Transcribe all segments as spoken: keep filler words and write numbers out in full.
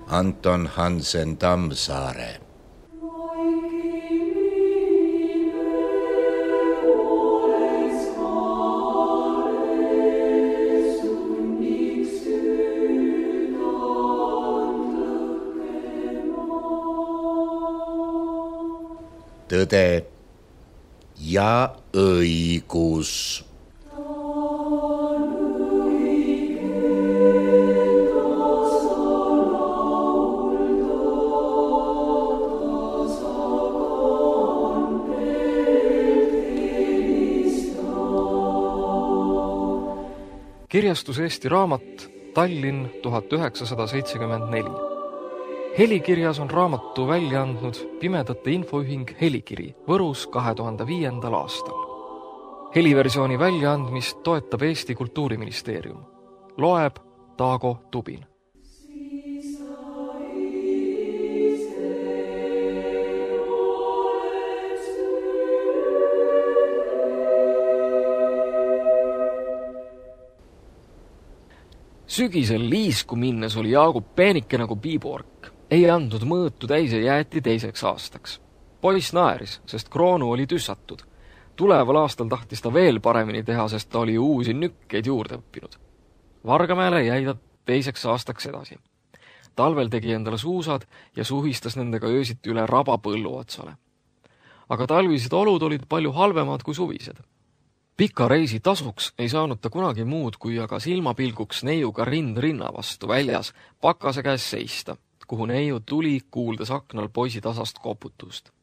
Anton Hansen Tammsaare. Tõde ja õigus. Kirjastus Eesti Raamat, Tallinn tuhat üheksasada seitsekümmend neli. Helikirjas on raamatu välja andnud Pimedate Infoühing Helikiri Võrus kahe tuhande viiendal aastal. Heliversiooni väljaandmist toetab Eesti Kultuuriministeerium. Loeb Taago Tubin. Sügisel liisku minnes oli Jaagup peenike nagu piibork. Ei andnud mõõtu täis ja jäeti teiseks aastaks. Poiss naeris, sest kroonu oli tüssatud. Tuleval aastal tahtis ta veel paremini teha, sest ta oli uusi nükkeid juurde õppinud. Vargamäele jäi ta teiseks aastaks edasi. Talvel tegi endale suusad ja suhistas nendega öösiti üle raba põllu otsale. Aga talvised olud olid palju halvemad kui suvised. Pika reisi tasuks ei saanud ta kunagi muud, kui aga silmapilguks neiuga rind rinna vastu väljas pakase käes seista, kuhu neiu tuli, kuuldes aknal poisi tasast koputust.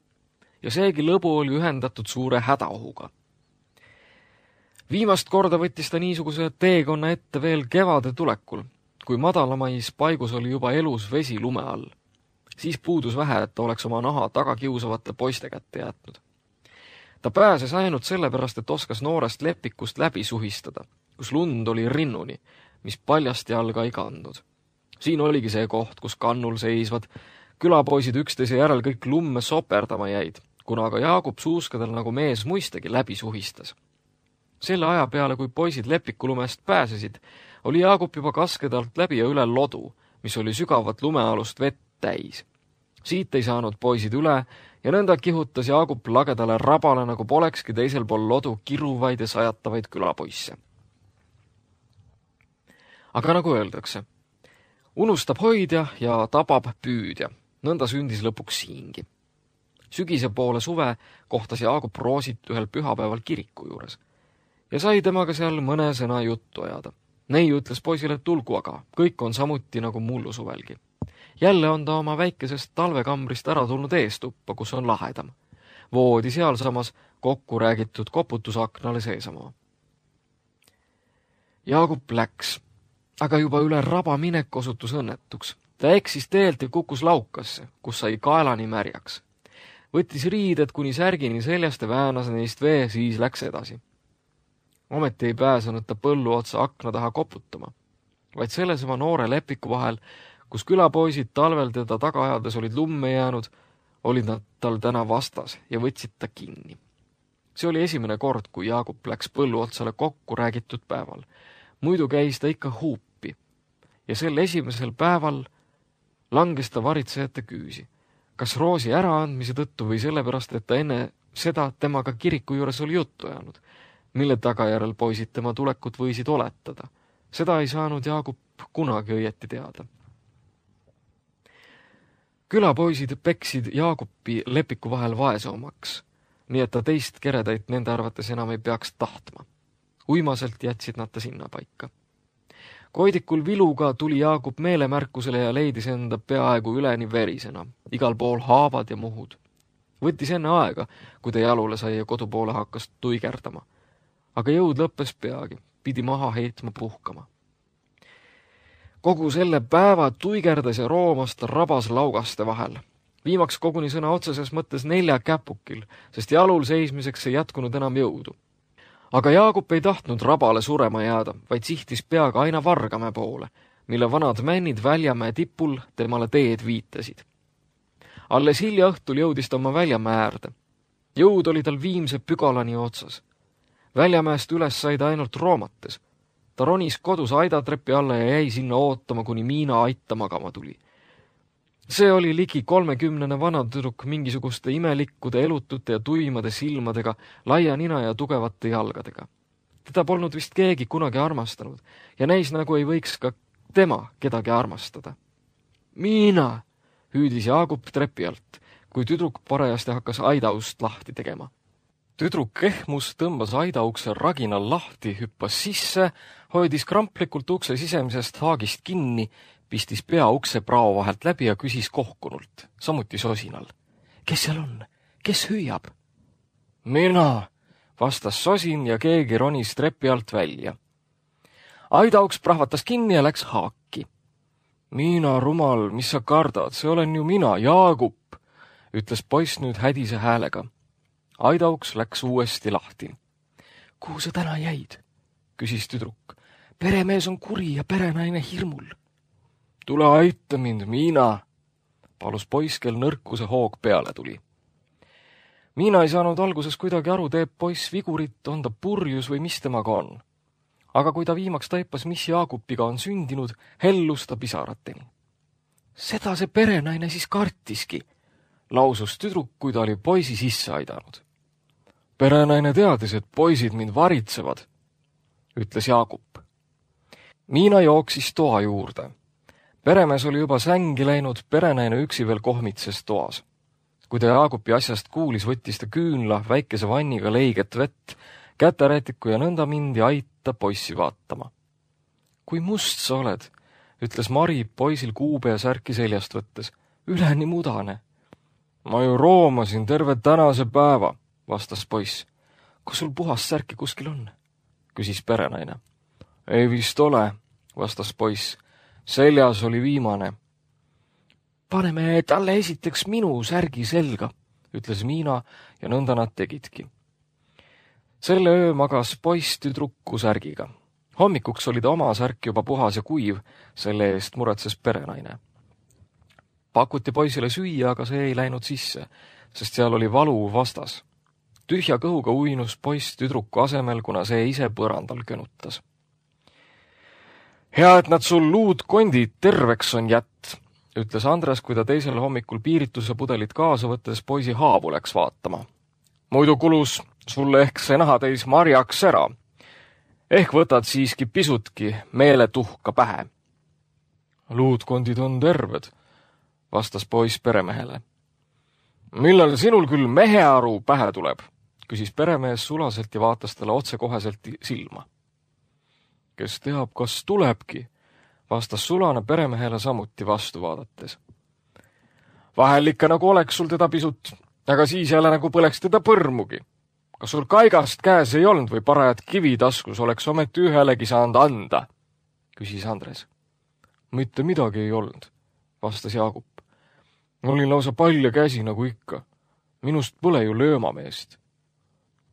Ja seegi lõbu oli ühendatud suure hädaohuga. Viimast korda võttis ta niisuguse teekonna ette veel kevade tulekul, kui madalamais paigus oli juba elus vesi lume all. Siis puudus vähe, et ta oleks oma naha taga kiusavate poiste kätte jätnud. Ta pääses ainult sellepärast, et oskas noorest lepikust läbi suhistada, kus lund oli rinnuni, mis paljast jalga ei kandnud. Siin oligi see koht, kus kannul seisvad, külapoisid üksteise järel kõik lumme soperdama jäid, kuna aga Jaagup suuskadel nagu mees muistegi läbi suhistas. Selle aja peale, kui poisid lepikulumest pääsesid, oli Jaagup juba kaskedalt läbi ja üle lodu, mis oli sügavat lumealust vett täis. Siit ei saanud poisid üle ja nõnda kihutas Jaagup lagedale rabale, nagu polekski teisel pool lodu kiruvaid ja sajatavaid külapoisse. Aga nagu öeldakse, unustab hoidja ja tabab püüdja. Nõnda sündis lõpuks siingi. Sügise poole suve kohtas Jaagup Roosit ühel pühapäeval kiriku juures ja sai temaga seal mõne sõna juttu ajada. Neiu ütles poisile, et tulgu aga, kõik on samuti nagu mullu suvelgi. Jälle on ta oma väikesest talvekambrist ära tulnud eestuppa, kus on lahedam. Voodi sealsamas kokku räägitud koputusaknale seesamaa. Jaagup läks, aga juba üle raba minek osutus õnnetuks. Ta eksis teelt ja kukkus laukasse, kus sai kaelani märjaks. Võttis riided kuni särgini seljast ja väänas neist vee, siis läks edasi. Ometi ei pääsenud ta põllu otsa akna taha koputama, vaid sellesama noore lepiku vahel, kus külapoisid talvel teda taga ajades olid lumme jäänud, olid nad tal täna vastas ja võtsid ta kinni. See oli esimene kord, kui Jaagup läks põllu otsale kokku räägitud päeval. Muidu käis ta ikka huupi ja sel esimesel päeval langes ta varitsejate küüsi. Kas Roosi äraandmise tõttu või sellepärast, et ta enne seda temaga kiriku juures oli juttu jäänud, mille tagajärel poisid tema tulekut võisid oletada. Seda ei saanud Jaagup kunagi õieti teada. Külapoisid peksid Jaagupi lepiku vahel vaesomaks, nii et ta teist keredaid nende arvates enam ei peaks tahtma. Uimaselt jätsid nad ta sinna paika. Koidikul viluga tuli Jaagup meelemärkusele ja leidis enda peaaegu üleni verisena, igal pool haavad ja muhud. Võttis enne aega, kui ta jalule sai ja kodupoole hakkas tuigerdama. Aga jõud lõppes peagi, pidi maha heitma puhkama. Kogu selle päeva tuigerdas ja roomas ta rabas laugaste vahel. Viimaks koguni sõna otseses mõttes nelja käpukil, sest jalul seismiseks ei jätkunud enam jõudu. Aga Jaagup ei tahtnud rabale surema jääda, vaid sihtis peaga aina Vargamäe poole, mille vanad männid Väljamäe tipul temale teed viitasid. Alles hilja õhtul jõudis ta oma Väljamäe äärde. Jõud oli tal Viimse pügalani otsas. Väljamäest üles sai ta ainult roomates. Ta ronis kodus aidatrepi alla ja jäi sinna ootama, kuni Miina aitta magama tuli. See oli ligi kolmekümnene vanatüdruk mingisuguste imelikkude, elutute ja tuimade silmadega, laia nina ja tugevate jalgadega. Teda polnud vist keegi kunagi armastanud ja näis nagu ei võiks ka tema kedagi armastada. Miina, hüüdis Jaagup trepi alt, kui tüdruk parajasti hakkas aidaust lahti tegema. Tüdruk ehmus, tõmbas aidaukse raginal lahti, hüppas sisse, hoidis kramplikult ukse sisemisest haagist kinni, pistis pea ukse prao vahelt läbi ja küsis kohkunult, samuti sosinal. Kes seal on? Kes hüüab? Mina, vastas sosin ja keegi ronis trepi alt välja. Aidauks prahvatas kinni ja läks haaki. Miina, rumal, mis sa kardad, see olen ju mina, Jaagup, ütles poiss nüüd hädise häälega. Aidauks läks uuesti lahti. Kuhu sa täna jäid? Küsis tüdruk. Peremees on kuri ja perenaine hirmul. Tule aita mind, Miina, palus poiss, kel nõrkuse hoog peale tuli. Miina ei saanud alguses kuidagi aru, teeb poiss vigurit, on ta purjus või mis temaga on. Aga kui ta viimaks taipas, mis Jaagupiga on sündinud, hellus ta pisarateni. Seda see perenaine siis kartiski, lausus tüdruk, kui ta oli poisi sisse aidanud. Perenaine teadis, et poisid mind varitsevad, ütles Jaagup. Miina jooksis toa juurde. Peremees oli juba sängi läinud, perenaine üksi veel kohmitses toas. Kui ta Jaagupi asjast kuulis, võttis ta küünla, väikese vanniga leiget vett, käterätiku ja nõnda mindi aita poissi vaatama. Kui must sa oled, ütles Mari poisil kuube ja särki seljast võttes. Üleni mudane. Ma ju roomasin terve tänase päeva, vastas poiss. Kus sul puhast särki kuskil on? Küsis perenaine. Ei vist ole, vastas poiss. Seljas oli viimane. Paneme talle esiteks minu särgi selga, ütles Miina ja nõnda nad tegidki. Selle öö magas poiss tüdruku särgiga. Hommikuks oli ta oma särk juba puhas ja kuiv, selle eest muretses perenaine. Pakuti poisile süüa, aga see ei läinud sisse, sest seal oli valu vastas. Tühja kõhuga uinus poiss tüdruku asemel, kuna see ise põrandal könutas. Hea, et nad sul luud kondid terveks on jätt, ütles Andres, kui ta teisel hommikul piirituse pudelit kaasa võttes poisi haavu läks vaatama. Muidu kulus sulle ehk see nahatäis marjaks ära. Ehk võtad siiski pisutki meeletuhka pähe. Luudkondid on terved, vastas poiss peremehele. Millal sinul küll mehearu pähe tuleb, küsis peremees sulaselt ja vaatas talle otsekoheselt silma. Kes teab, kas tulebki, vastas sulane peremehele samuti vastu vaadates. Vahel ikka nagu oleks sul teda pisut, aga siis jälle nagu põleks teda põrmugi. Kas sul kaigast käes ei olnud või parajad kivi taskus oleks ometi ühelegi saanud anda, küsis Andres. Mitte midagi ei olnud, vastas Jaagup. Olin lausa palja käsi nagu ikka. Minust pole ju löömameest.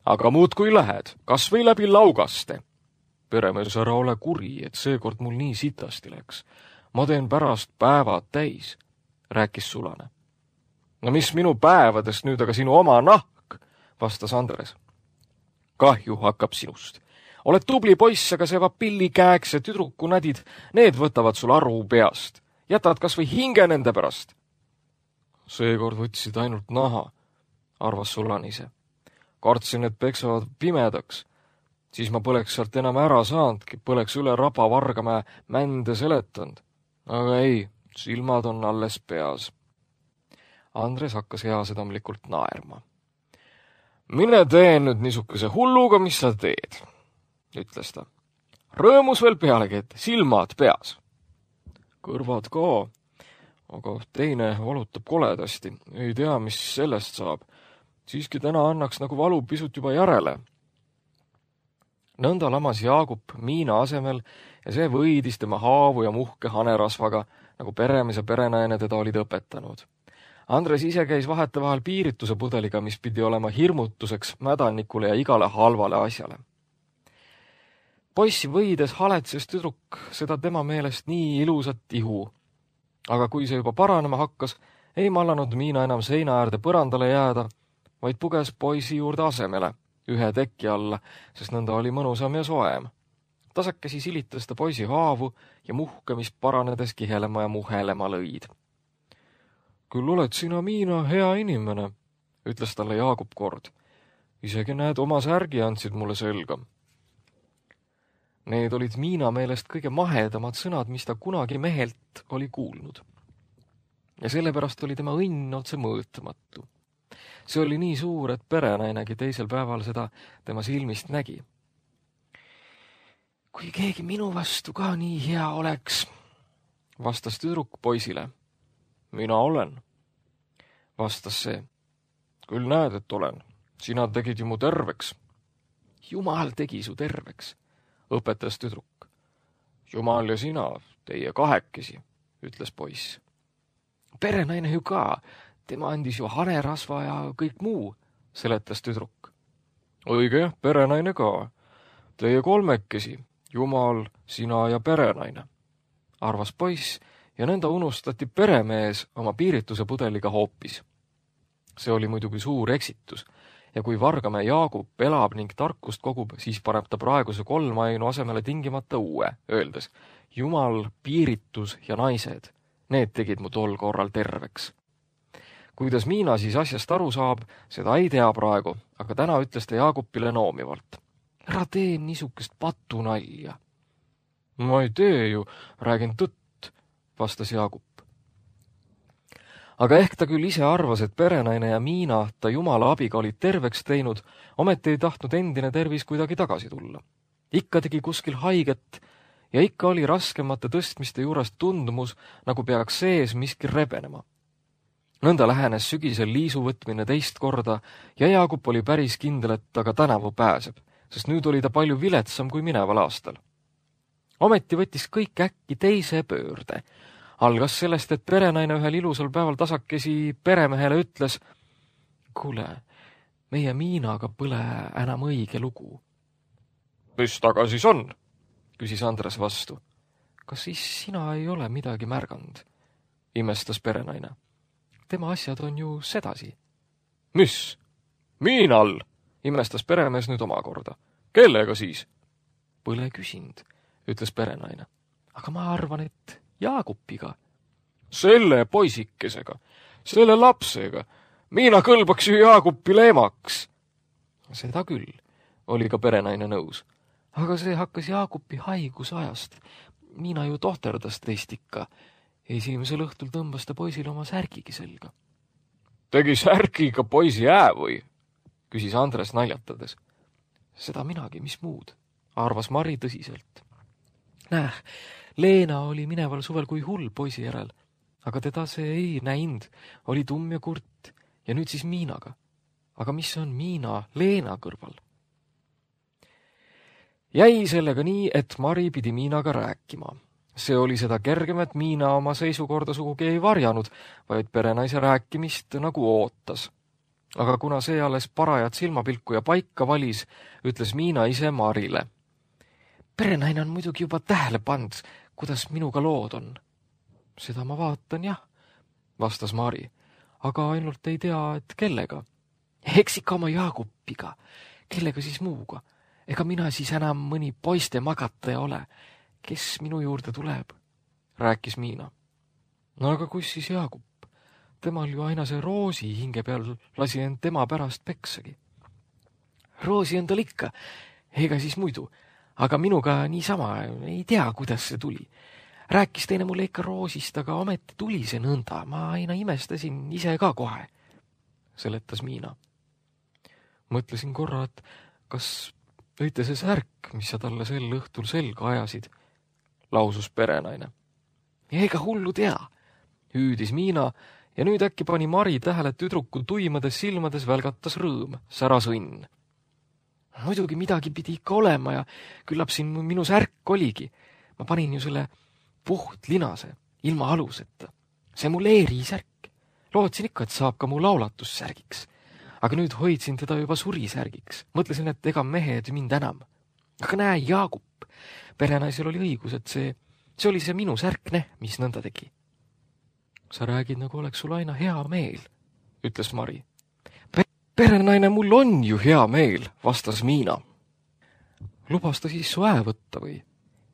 Aga muud kui lähed, kas või läbi laugaste. Peremees, ära ole kuri, et seekord mul nii sitasti läks. Ma teen pärast päevad täis, rääkis sulane. No mis minu päevadest nüüd aga sinu oma nahk, vastas Andres. Kahju hakkab sinust. Oled tubli poiss, aga see vapilli käeks ja tüdruku nädid, need võtavad sul aru peast. Jätad kas või hinge nende pärast. Seekord võtsid ainult naha, arvas sulane ise. Kartsin, et peksavad pimedaks. Siis ma poleks sealt enam ära saandki, poleks üle raba Vargamäe mände seletanud. Aga ei, silmad on alles peas. Andres hakkas heasedamlikult naerma. Mine tee nüüd niisukese hulluga, mis sa teed, ütles ta. Rõõmus veel pealegi, et silmad peas. Kõrvad ka, aga teine valutab koledasti. Ei tea, mis sellest saab. Siiski täna annaks nagu valu pisut juba järele. Nõnda lamas Jaagup Miina asemel ja see võidis tema haavu ja muhke hanerasvaga, nagu peremees ja perenaine teda olid õpetanud. Andres ise käis vahetevahel piirituse pudeliga, mis pidi olema hirmutuseks mädanikule ja igale halvale asjale. Poissi võides haletses tüdruk seda tema meelest nii ilusat ihu. Aga kui see juba paranema hakkas, ei mallanud Miina enam seina äärde põrandale jääda, vaid puges poisi juurde asemele, ühe teki alla, sest nõnda oli mõnusam ja soem. Tasakesi silitas ta poisi haavu ja muhke, mis paranedes kihelema ja muhelema lõid. küll oled sina, Miina, hea inimene, ütles talle Jaagup kord. Isegi näed, oma särgi andsid mulle selga. Need olid Miina meelest kõige mahedamad sõnad, mis ta kunagi mehelt oli kuulnud. Ja sellepärast oli tema õnn otse mõõtamatu. See oli nii suur, et perenainegi teisel päeval seda tema silmist nägi. Kui keegi minu vastu ka nii hea oleks, vastas tüdruk poisile. Mina olen, vastas see. Küll näed, et olen. Sina tegid ju mu terveks. Jumal tegi su terveks, õpetas tüdruk. Jumal ja sina, teie kahekesi, ütles poiss. Perenaine ju ka, tema andis ju hanerasva ja kõik muu, seletas tüdruk. Õige, perenaine ka. Teie kolmekesi, Jumal, sina ja perenaine, arvas poiss ja nõnda unustati peremees oma piirituse pudeliga hoopis. See oli muidugi suur eksitus ja kui Vargamäe Jaagup elab ning tarkust kogub, siis paneb ta praeguse kolmainu asemele tingimata uue, öeldes Jumal, piiritus ja naised, need tegid mu tol korral terveks. Kuidas Miina siis asjast aru saab, seda ei tea praegu, aga täna ütles ta Jaagupile noomivalt. Ära tee niisugust patunalja. Ma ei tee ju, räägin tõtt, vastas Jaagup. Aga ehk ta küll ise arvas, et perenaine ja Miina ta Jumala abiga olid terveks teinud, ometi ei tahtnud endine tervis kuidagi tagasi tulla. Ikka tegi kuskil haiget ja ikka oli raskemate tõstmiste juurest tundumus, nagu peaks sees miski rebenema. Nõnda lähenes sügisel liisu võtmine teist korda ja Jaagup oli päris kindel, et ta ka tänavu pääseb, sest nüüd oli ta palju viletsam kui mineval aastal. Ometi võttis kõik äkki teise pöörde. Algas sellest, et perenaine ühel ilusal päeval tasakesi peremehele ütles, kuule, meie Miinaga põle enam õige lugu. Mis taga siis on? Küsis Andres vastu. Kas siis sina ei ole midagi märganud? Imestas perenaine. Tema asjad on ju sedasi. Mis? Miinal? Imestas peremees nüüd omakorda. Kellega siis? Põle küsinud, ütles perenaine. Aga ma arvan, et Jaagupiga. Selle poisikesega, selle lapsega. Miina kõlbaks ju Jaagupile emaks. Seda küll, oli ka perenaine nõus. Aga see hakkas Jaagupi haigusajast. Miina ju tohterdas teist ikka. Esimesel õhtul tõmbas ta poisile oma särgigi selga. Tegi särgiga poisi ää või? Küsis Andres naljatades. Seda minagi, mis muud, arvas Mari tõsiselt. Näh, Leena oli mineval suvel kui hull poisi järel, aga teda see ei näinud, oli tumm ja kurt ja nüüd siis Miinaga. Aga mis on Miina Leena kõrval? Jäi sellega nii, et Mari pidi Miinaga rääkima. See oli seda kergem, et Miina oma seisukorda sugugi ei varjanud, vaid perenaise rääkimist nagu ootas. Aga kuna see alles parajat silmapilku ja paika valis, ütles Miina ise Marile. Perenaine on muidugi juba tähele pand, kuidas minuga lood on. Seda ma vaatan, jah, vastas Mari, aga ainult ei tea, et kellega. Eks ikka oma Jaagupiga, kellega siis muuga. Ega mina siis enam mõni poiste magataja ole. Kes minu juurde tuleb? Rääkis Miina. No aga kus siis Jaagup? Temal ju aina see Roosi hinge peal lasi end tema pärast peksagi. Roosi on tal ikka, ega siis muidu. Aga minuga niisama, ei tea, kuidas see tuli. Rääkis teine mulle ikka Roosist, aga ometi tuli see nõnda. Ma aina imestasin ise ka kohe, seletas Miina. Mõtlesin korra, et kas õite see särk, mis sa talle sel õhtul selga ajasid, lausus perenaine. Ega hullu tea, hüüdis Miina ja nüüd äkki pani Mari tähele tüdruku tuimades silmades välgatas rõõm, säras õnn. Muidugi midagi pidi ikka olema ja küllap siin minu särk oligi. Ma panin ju selle puht linase, ilma aluseta. See mu leerisärk. Lootsin ikka, et saab ka mu laulatussärgiks. Aga nüüd hoidsin teda juba surisärgiks. Mõtlesin, et ega mehed mind enam. Aga näe, Jaagup. Perenaisel oli õigus, et see, see oli see minu särk, ne, mis nõnda tegi. Sa räägid, nagu oleks sul aina hea meel, ütles Mari. Perenaine, mul on ju hea meel, vastas Miina. Lubas ta siis su ää võtta või?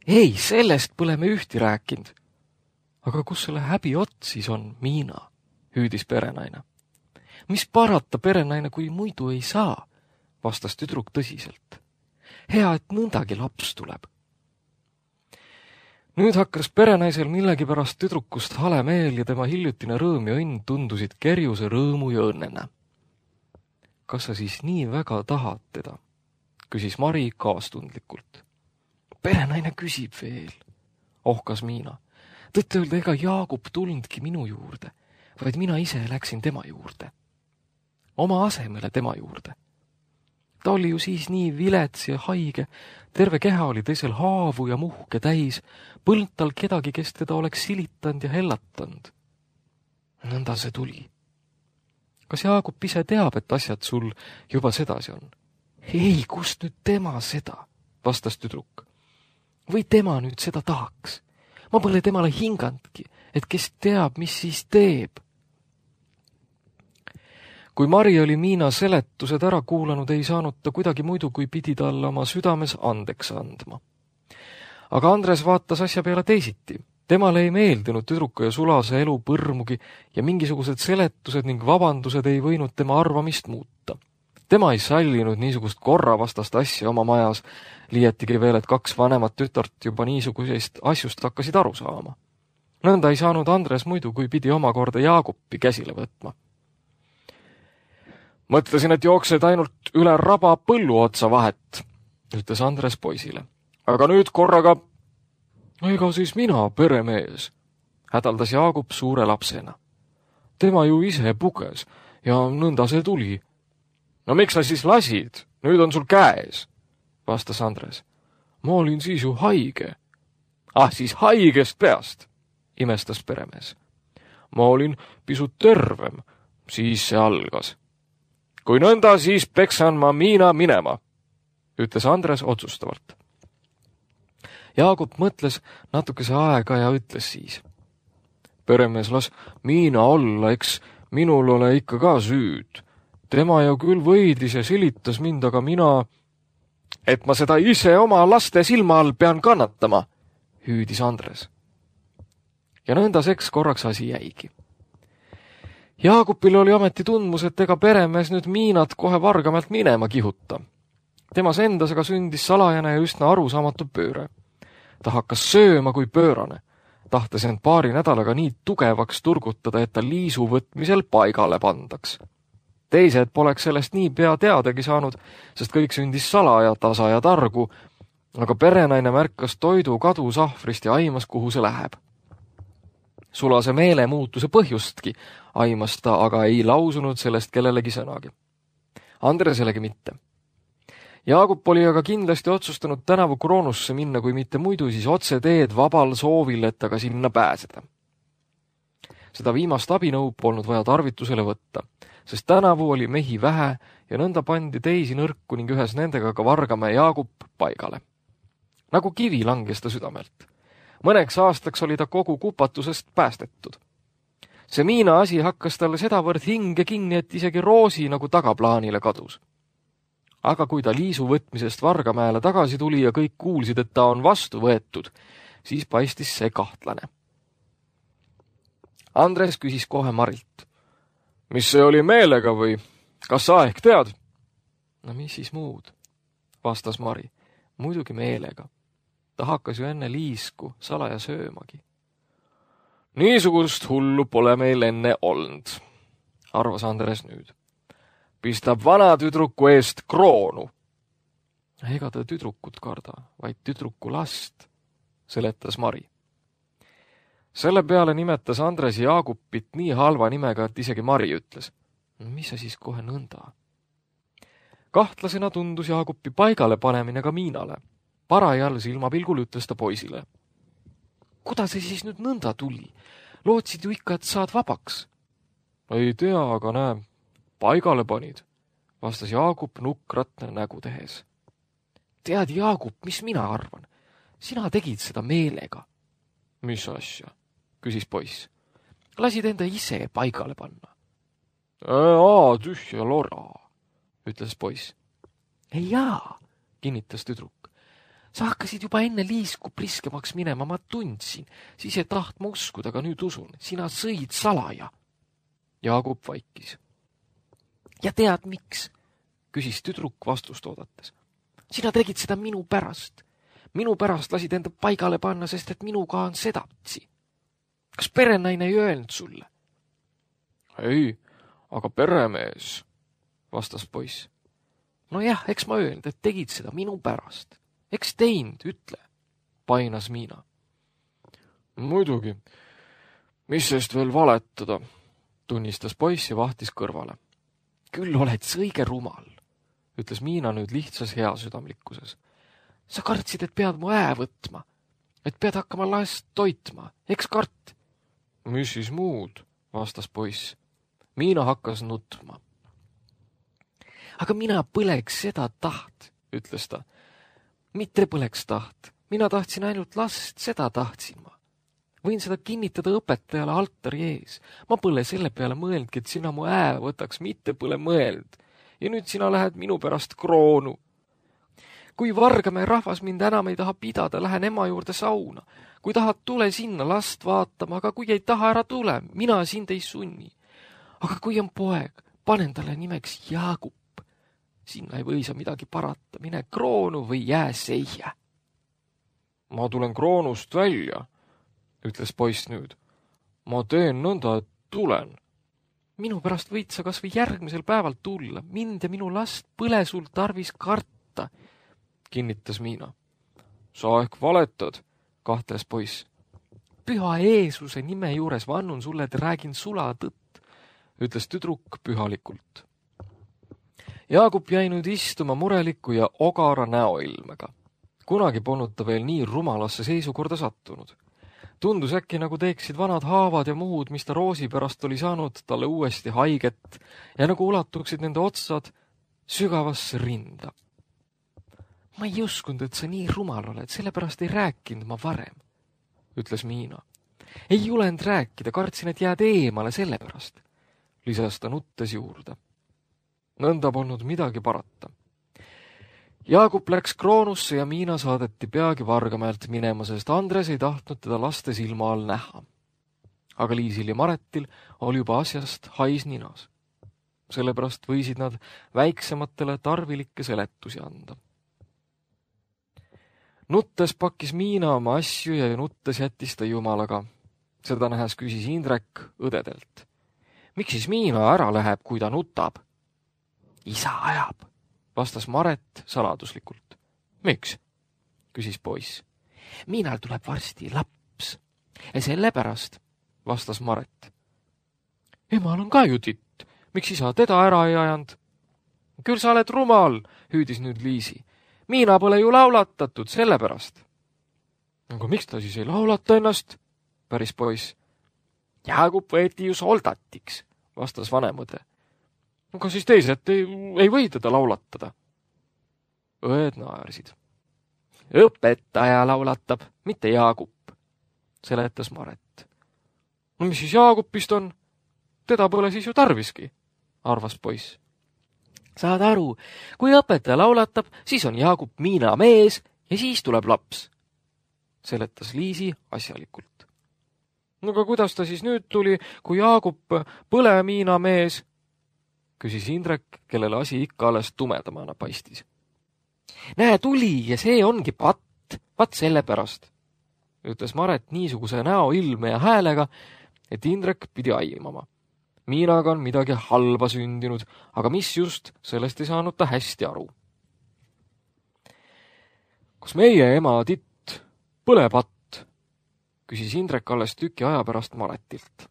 Ei, sellest pole me ühti rääkinud. Aga kus selle häbi ots siis on, Miina? hüüdis perenaine. Mis parata, perenaine, kui muidu ei saa, vastas tüdruk tõsiselt. Hea, et nõndagi laps tuleb. Nüüd hakkas perenaisel millegipärast tüdrukust hale meel ja tema hiljutine rõõm ja õnn tundusid kerjuse rõõmu ja õnnena. Kas sa siis nii väga tahad teda? Küsis Mari kaastundlikult. Perenaine küsib veel, ohkas Miina. Tõtt-öelda ega Jaagup tulnudki minu juurde, vaid mina ise läksin tema juurde. Oma asemele tema juurde. Ta oli ju siis nii vilets ja haige, terve keha oli teisel haavu ja muhke täis, põlnud tal kedagi, kes teda oleks silitanud ja hellatanud. Nõnda see tuli. Kas Jaagup ise teab, et asjad sul juba sedasi on? Ei, kust nüüd tema seda, vastas tüdruk. Või tema nüüd seda tahaks? Ma pole temale hingandki, et kes teab, mis siis teeb. Kui Mari oli Miina seletused ära kuulanud, ei saanud ta kuidagi muidu, kui pidi talle oma südames andeks andma. Aga Andres vaatas asja peale teisiti. Temale ei meeldinud tüdruku ja sulase elu põrmugi ja mingisugused seletused ning vabandused ei võinud tema arvamist muuta. Tema ei sallinud niisugust korravastast asja oma majas, liietigi veel, et kaks vanemat tütart juba niisugusest asjust hakkasid aru saama. Nõnda ei saanud Andres muidu, kui pidi omakorda Jaagupi käsile võtma. Mõtlesin, et jooksed ainult üle raba põllu otsa vahet, ütles Andres poisile. Aga nüüd korraga, ega siis mina, peremees, hädaldas Jaagup suure lapsena. Tema ju ise puges ja nõnda see tuli. No miks sa siis lasid? Nüüd on sul käes, vastas Andres. Ma olin siis ju haige. Ah, siis haigest peast, imestas peremees. Ma olin pisut tervem, siis see algas. Kui nõnda, siis peksan ma Miina minema, ütles Andres otsustavalt. Jaagup mõtles natukese aega ja ütles siis. Peremees, las Miina olla, eks minul ole ikka ka süüd. Tema ju küll võidis ja silitas mind, aga mina, et ma seda ise oma laste silma all pean kannatama, hüüdis Andres. Ja nõnda seks korraks asi jäigi. Jaagupil oli ameti tundmus, et ega peremees nüüd Miinat kohe vargamalt minema kihuta. Temas endas aga sündis salajane ja üsna arusaamatu pööre. Ta hakkas sööma kui pöörane, tahtes end paari nädalaga nii tugevaks turgutada, et ta liisu võtmisel paigale pandaks. Teised poleks sellest nii pea teadagi saanud, sest kõik sündis salaja, tasa ja targu, aga perenaine märkas toidu kadu sahvrist ja aimas, kuhu see läheb. Sulase meele muutuse põhjustki aimas ta, aga ei lausunud sellest kellelegi sõnagi. Andreselegi mitte. Jaagup oli aga kindlasti otsustanud tänavu Kroonusse minna, kui mitte muidu, siis otse teed vabal soovil, et aga sinna pääseda. Seda viimast abinõu polnud vaja tarvitusele võtta, sest tänavu oli mehi vähe ja nõnda pandi teisi nõrku ning ühes nendega ka Vargamäe Jaagup paigale. Nagu kivi langes ta südamelt. Mõneks aastaks oli ta kogu kupatusest päästetud. See Miina asi hakkas talle sedavõrd hinge kinni, et isegi Roosi nagu tagaplaanile kadus. Aga kui ta liisu võtmisest Vargamäele tagasi tuli ja kõik kuulsid, et ta on vastu võetud, siis paistis see kahtlane. Andres küsis kohe Marilt. Mis see oli meelega või? Kas sa ehk tead? No mis siis muud, vastas Mari. Muidugi meelega. Ta hakkas ju enne liisku salaja söömagi. Niisugust hullu pole meil enne olnud, arvas Andres nüüd. Pistab vana tüdruku eest kroonu. Ega ta tüdrukut karda, vaid tüdruku last, seletas Mari. Selle peale nimetas Andres Jaagupit nii halva nimega, et isegi Mari ütles. Mis sa siis kohe nõnda? Kahtlasena tundus Jaagupi paigale panemine ka Miinale. Parajal silmapilgul ütles ta poisile. Kuda see siis nüüd nõnda tuli? Lootsid ju ikka, et saad vabaks. Ei tea, aga näe, paigale panid, vastas Jaagup nukratne nägu tehes. Tead, Jaagup, mis mina arvan? Sina tegid seda meelega. Mis asja? Küsis poiss. Lasid enda ise paigale panna. Aa, tühja lora, ütles poiss. Ei jaa, kinnitas tüdruk. Sa hakkasid juba enne liisku priskemaks minema, ma tundsin. Siis ei tahtma uskuda, aga nüüd usun. Sina sõid salaja. Jaagup vaikis. Ja tead miks? Küsis tüdruk vastust oodates. Sina tegid seda minu pärast. Minu pärast lasid enda paigale panna, sest et minuga on sedatsi. Kas perenaine ei öelnud sulle? Ei, aga peremees, vastas poiss. No jah, eks ma öelnud, et tegid seda minu pärast. Eks teinud, ütle, painas Miina. Muidugi, mis sest veel valetada, tunnistas poiss ja vahtis kõrvale. Küll oled sa õige rumal, ütles Miina nüüd lihtsas heasüdamlikkuses. Sa kartsid, et pead mu ää võtma, et pead hakkama last toitma, eks kart? Mis siis muud, vastas poiss. Miina hakkas nutma. Aga mina põleks seda taht, ütles ta. Mitte põleks taht, mina tahtsin ainult last, seda tahtsin ma. Võin seda kinnitada õpetajale altari ees. Ma pole selle peale mõeldki, et sina mu ää võtaks, mitte pole mõeld. Ja nüüd sina lähed minu pärast kroonu. Kui Vargamäe rahvas mind enam ei taha pidada, lähen ema juurde sauna. Kui tahad, tule sinna last vaatama, aga kui ei taha, ära tule, mina sind ei sunni. Aga kui on poeg, panen talle nimeks Jaagup. Sinna ei või sa midagi parata, mine kroonu või jää seia. Ma tulen kroonust välja, ütles poiss nüüd. Ma teen nõnda, et tulen. Minu pärast võid sa kas või järgmisel päeval tulla. Mind ja minu last põle sul tarvis karta, kinnitas Miina. Sa ehk valetad, kahtles poiss. Püha Jeesuse nime juures vannun sulle, et räägin sula tõtt, ütles tüdruk pühalikult. Jaagup jäi nüüd istuma mureliku ja ogara näoilmega. Kunagi polnud ta veel nii rumalasse seisukorda sattunud. Tundus äkki, nagu teeksid vanad haavad ja muud, mis ta roosi pärast oli saanud talle uuesti haiget ja nagu ulatuksid nende otsad sügavasse rinda. Ma ei uskunud, et sa nii rumal oled, sellepärast ei rääkinud ma varem, ütles Miina. Ei julenud rääkida, kartsin, et jääd eemale sellepärast, lisas ta nuttes juurde. Nõnda polnud midagi parata. Jaagup läks kroonusse ja Miina saadeti peagi Vargamäelt minema, sest Andres ei tahtnud teda laste silma all näha. Aga Liisil ja Maretil oli juba asjast hais ninas. Sellepärast võisid nad väiksematele tarvilikke seletusi anda. Nuttes pakkis Miina oma asju ja nuttes jättis ta jumalaga. Seda nähes küsis Indrek õdedelt. Miks siis Miina ära läheb, kui ta nutab? Isa ajab, vastas Maret saladuslikult. Miks? Küsis poiss. Miinal tuleb varsti laps. Ja sellepärast, vastas Maret. Emal on ka ju titt. Miks isa teda ära ei ajanud? Küll sa oled rumal, hüüdis nüüd Liisi. Miina pole ju laulatatud, sellepärast. Aga miks ta siis ei laulata ennast? Päris poiss. Jaagup võeti ju soldatiks, vastas vanemõde. Aga siis teised ei, ei või teda laulatada. Õed naersid. Õpetaja laulatab, mitte Jaagup, seletas Maret. No mis siis Jaagupist on? Teda pole siis ju tarviski, arvas poiss. Saad aru, kui õpetaja laulatab, siis on Jaagup Miina mees ja siis tuleb laps, seletas Liisi asjalikult. No aga kuidas ta siis nüüd tuli, kui Jaagup põle Miina mees? Küsis Indrek, kellele asi ikka alles tumedamana paistis. Näe, tuli ja see ongi patt, pat selle pärast, ütles Maret niisuguse näo ilme ja häälega, et Indrek pidi aimama. Miinaga on midagi halba sündinud, aga mis just, sellest ei saanud ta hästi aru. Kas meie ema titt põle patt? Küsis Indrek alles tüki aja pärast Maretilt.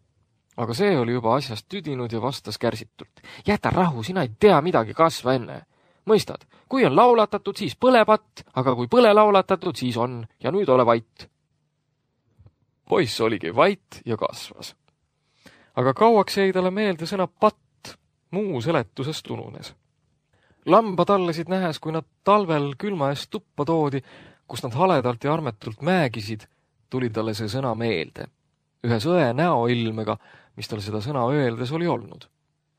Aga see oli juba asjast tüdinud ja vastas kärsitult. Jäta rahu, sina ei tea midagi, kasva enne. Mõistad, kui on laulatatud, siis põle patt, aga kui põle laulatatud, siis on, ja nüüd ole vait. Poiss oligi vait ja kasvas. Aga kauaks jäi talle meelde sõna patt, muu seletusest ununes. Lambad allesid nähes, kui nad talvel külma eest tuppa toodi, kus nad haledalt ja armetult määgisid, tuli talle see sõna meelde. Ühe sõe näoilmega, mis tal seda sõna öeldes oli olnud.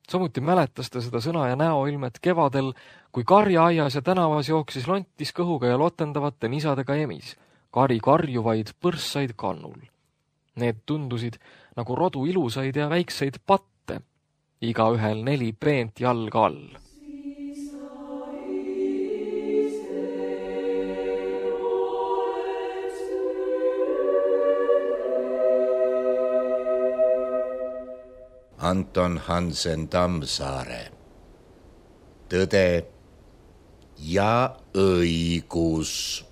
Samuti mäletas ta seda sõna ja näoilmet kevadel, kui karjaaias ja tänavas jooksis lontis kõhuga ja lotendavate nisadega emis, kari karjuvaid põrssaid kannul. Need tundusid nagu rodu ilusaid ja väikseid patte, igaühel neli peent jalga all. Anton Hansen Tammsaare. Tõde ja õigus.